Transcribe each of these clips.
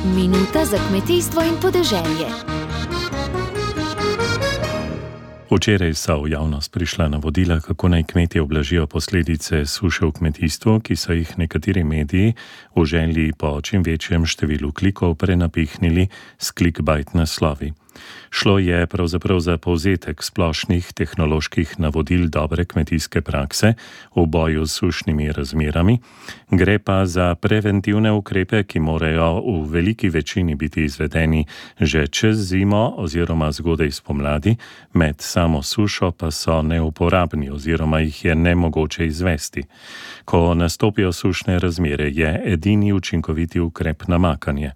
Minuta za kmetijstvo in podeželje. Včeraj so v javnost prišla navodila, kako naj kmetje ublažijo posledice suše v kmetijstvu, ki so jih nekateri mediji v želji po čim večjem številu klikov prenapihnili s clickbait naslovi. Šlo je pravzaprav za povzetek splošnih tehnoloških navodil dobre kmetijske prakse v boju s sušnimi razmerami, gre pa za preventivne ukrepe, ki morajo v veliki večini biti izvedeni že čez zimo oziroma zgodaj spomladi, med samo sušo pa so neuporabni oziroma jih je nemogoče izvesti. Ko nastopijo sušne razmere, je edini učinkoviti ukrep namakanje.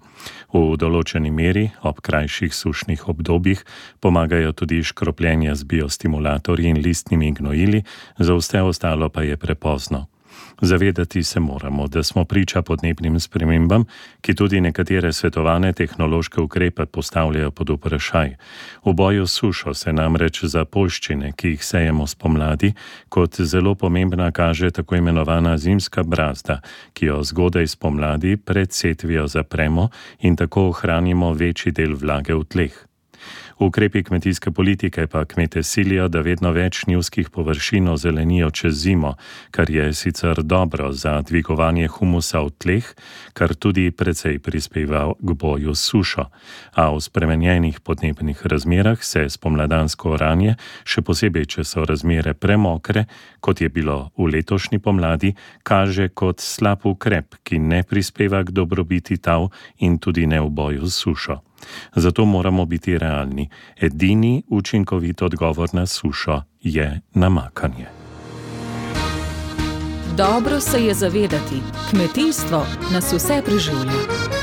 V določeni meri ob krajših sušnih obdobjih pomagajo tudi škropljenja z biostimulatorji in listnimi gnojili, za vse ostalo pa je prepozno. Zavedati se moramo, da smo priča podnebnim spremembam, ki tudi nekatere svetovane tehnološke ukrepe postavljajo pod vprašaj. V boju s sušo se namreč za poljščine, ki jih sejemo spomladi, kot zelo pomembna kaže tako imenovana zimska brazda, ki jo zgodaj spomladi pred setvijo zapremo in tako ohranimo večji del vlage v tleh. Ukrepi kmetijske politike pa kmete silijo, da vedno več njivskih površin ozelenijo čez zimo, kar je sicer dobro za dvigovanje humusa v tleh, kar tudi precej prispeva k boju s sušo. A v spremenjenih podnebnih razmerah se spomladansko oranje, še posebej, če so razmere premokre, kot je bilo v letošnji pomladi, kaže kot slab ukrep, ki ne prispeva k dobrobiti tal in tudi ne v boju s sušo. Zato moramo biti realni. Edini učinkovit odgovor na sušo je namakanje. Dobro se je zavedati, kmetijstvo nas vse preživlja.